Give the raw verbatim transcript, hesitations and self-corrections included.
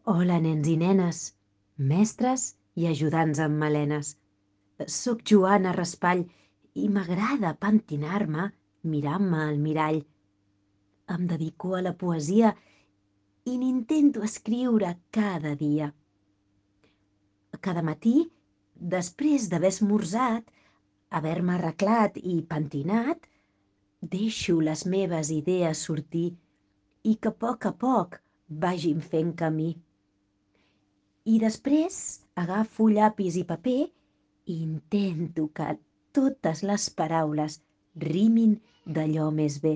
Hola, nens i nenes, mestres i ajudants amb melenes. Soc Joana Raspall i m'agrada pentinar-me mirant-me al mirall. Em dedico a la poesia i n'intento escriure cada dia. Cada matí, després d'haver esmorzat, haver-me arreglat i pentinat, deixo les meves idees sortir i que a poc a poc vagin fent camí. I després agafo llapis i paper i intento que totes les paraules rimin d'allò més bé.